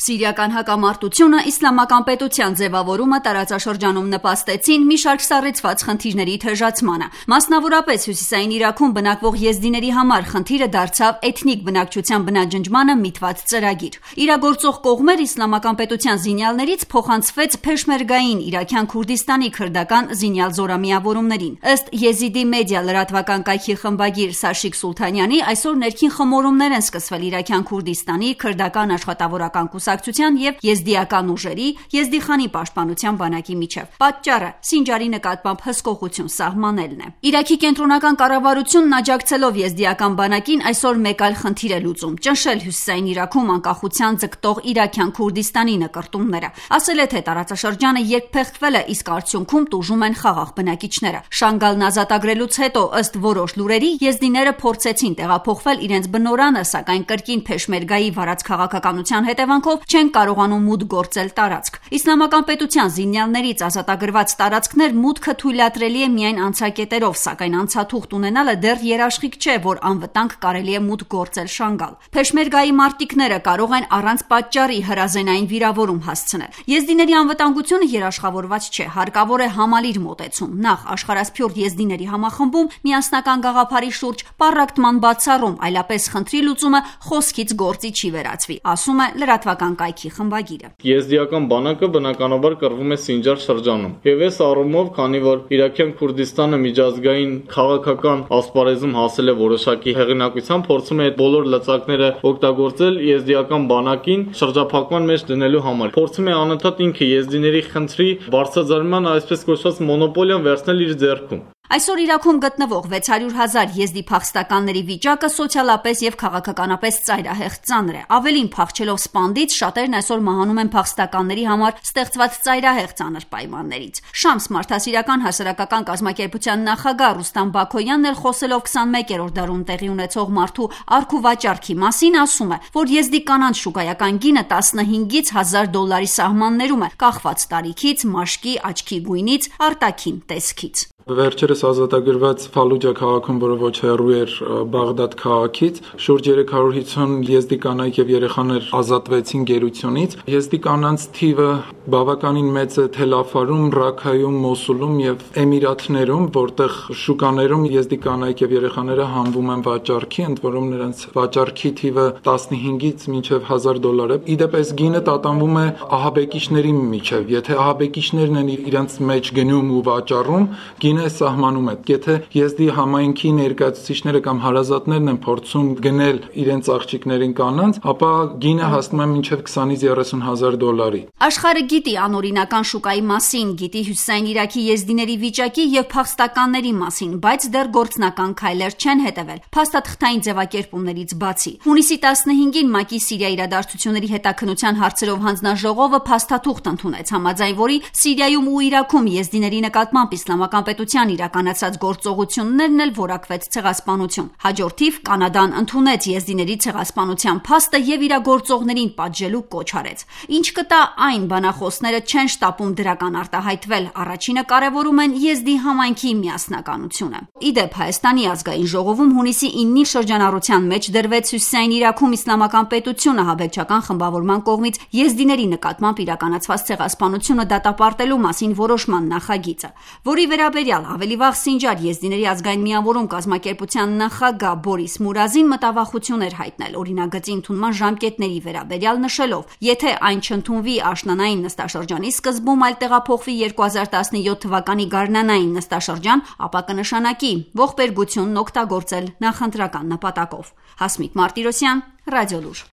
Սիրիական հակամարտությունը, իսլամական պետության ձևավորումը տարածաշրջանում նպաստեցին մի շարք սառեցված խնդիրների թեժացմանը։ Մասնավորապես հյուսիսային Իրաքում բնակվող եզդիների համար խնդիրը դարձավ էթնիկ բնակչության բնաջնջմանը միտված ծրագիր։ Իրագործող կողմեր իսլամական պետության զինյալներից փոխանցվեց Փեշմերգային Իրաքյան Քուրդիստանի քրդական զինյալ զորամիավորումներին։ Ըստ Եզիդի մեդիա լրատվական կայքի խմբագիր Սաշիկ Սուլթանյանի, այսօր ներքին խմորումներ են սկսվել Իրաքյան Քուրդիստանի քրդական աշխատավորական կուսակցության եւ եզդիական ուժերի Եզդիխանի պաշտպանության բանակի միջև։ Պատճառը Սինջարի նկատմամբ հսկողություն սահմանելն է։ Իրաքի կենտրոնական կառավարությունն աջակցելով եզդիական բանակին այսօր մեկ այլ խնդիր է լուծում՝ ճնշել հյուսիսային Իրաքում անկախության ձգտող Իրաքյան Քուրդիստանի նկրտումները։ Ասել է, թե տարածաշրջանը երբ փեղկվել է, իսկ արդյունքում տուժում են խաղաղ բնակիչները։ Շանգալն ազատագրելուց հետո, ըստ որոշ լուրերի, եզդիները փորձեցին տեղափոխվել իրենց բնորանը, սակայն կրկին Փեշմերգայի վարած քաղաքականության հետևանքով չեն կարողանում մուտք գործել տարածք։ Իսլամական պետության զինյալներից ազատագրված տարածքներ մուտքը թույլատրելի է միայն անցակետերով, սակայն անցաթուղթ ունենալը դեռ երաշխիք չէ, որ անվտանգ կարելի է մուտք գործել Շանգալ։ Փեշմերգայի մարտիկները կարող են առանց պատճառի հրազենային վիրավորում հասցնել։ Եզդիների անվտանգությունը երաշխավորված չէ, հարկավոր է համալիր մոտեցում։ Նախ աշխարհասփյուռ եզդիների համախմբում, միասնական գաղափարի շուրջ պառակտման բացառում, այլապես խնդրի լուծումը խոսքից գործի չի վերածվի, ասում է լրատվական կայքի խմբագիրը։ Եզդիական բանակը բնականաբար կռվում է Սինջար շրջանում։ Եվ այս առումով, քանի որ Իրաքյան Քուրդիստանը միջազգային քաղաքական ասպարեզում հասել է որոշակի հեղինակության, փորձում է այդ բոլոր լծակները օգտագործել եզդիական բանակին շրջափակման մեջ դնելու համար։ Փորձում է անընդհատ ինքը եզդիների խնդրի բարձրաձայնման, այսպես կոչված մոնոպոլիան վերցնել իր ձեռքում։ Այսօր Իրաքում գտնվող 600,000 եզդի փախստականների վիճակը սոցիալապես եւ քաղաքականապես ծայրահեղ ծանր է։ Ավելին, փախչելով Սպանդից, շատերն այսօր մահանում են փախստականների համար ստեղծված ծայրահեղ ծանր պայմաններից։ Շամս մարդասիրական հասարակական կազմակերպության նախագահ Ռուստամ Բաքոյանն էլ խոսելով 21-րդ դարում տեղի ունեցող մարդու արք ու վաճառքի մասին, ասում է, որ եզդի կանանց շուկայական գինը 15-ից $1,000 սահմաններում է, կախված տարիքից, մաշկի, աչքի գույնից, արտաքին տեսքից։ Վերջերս ազատագրված Ֆալուջա քաղաքում, որը ոչ հեռու էր Բաղդադ քաղաքից, շուրջ 350 եզդի կանայք եւ երեխաներ ազատվեցին գերությունից։ Եզդի կանանց թիվը բավականին մեծ է Թելաֆարում, Ռաքայում, Մոսուլում եւ Էմիրաթներում, որտեղ շուկաներում եզդի կանայք եւ երեխաները հանվում են վաճառքի, ընդ որում նրանց վաճառքի թիվը 15-ից մինչեւ $1,000 է։ Իդեպ այս գինը տատանվում է ահաբեկիչների միջև։ Եթե ահաբեկիչներն են իրենց մեջ գնում ու վաճառում, գինը սահմանում է։ Եթե եզդի համայնքի ներկայացուցիչները կամ հարազատներն են փորձում գնել իրենց աղջիկներին կանանց, ապա գինը հասնում է մինչև $20-ից $30,000։ Աշխարհը գիտի անօրինական շուկայի մասին, գիտի հյուսիսային Իրաքի եզդիների վիճակի եւ փախստականների մասին, բայց դեռ գործնական քայլեր չեն հետևել, փաստաթղթային ձևակերպումներից բացի։ Հունիսի 15-ին ՄԱԿ-ի Սիրիա իրադարձությունների հետաքննության հարցերով հանձնաժողովը փաստաթուղթ ընդունեց, համաձայն որի Սիրիայում ու Իրաքում եզդիների նկատմամբ իսլամական պետության իրականացած գործողություններն էլ որակվեց ցեղասպանություն։ Հաջորդիվ Կանադան ընդունեց եզդիների ցեղասպանության փաստը եւ իրագործողներին պատժելու կոչ արեց։ Ինչ կտա այն, բանախոսները չեն շտապում դրական արտահայտվել, առաջինը կարևորում են եզդի համայնքի միասնականությունը։ Իդեպ Հայաստանի ազգային ժողովում հունիսի 9-ի շրջանառության մեջ դրվեց հյուսիսային Իրաքում իսլամական պետությունը հաբեկչական խմբավորման կողմից եզդիների նկատմամբ իրականացված ցեղասպանությունը դատապարտելու մասին որոշման նախագիծը, որի վերաբերյալ ավելի վաղ Սինջար եզդիների ազգային միավորում կազմակերպության նախագահ Բորիս Մուրազին մտավախություն էր հայտնել օրինագծի ընդունման ժամկետների վերաբերյալ, նշելով, եթե այն չընդունվի աշնանային նստաշրջանի սկզբում, այլ տեղափոխվի 2017 թվականի գարնանային նստաշրջան, ապա կնշանակի ողբերգությունն օգտագործել նախընտրական նպատակով։ Հասմիկ Մարտիրոսյան, Ռադիոլուր։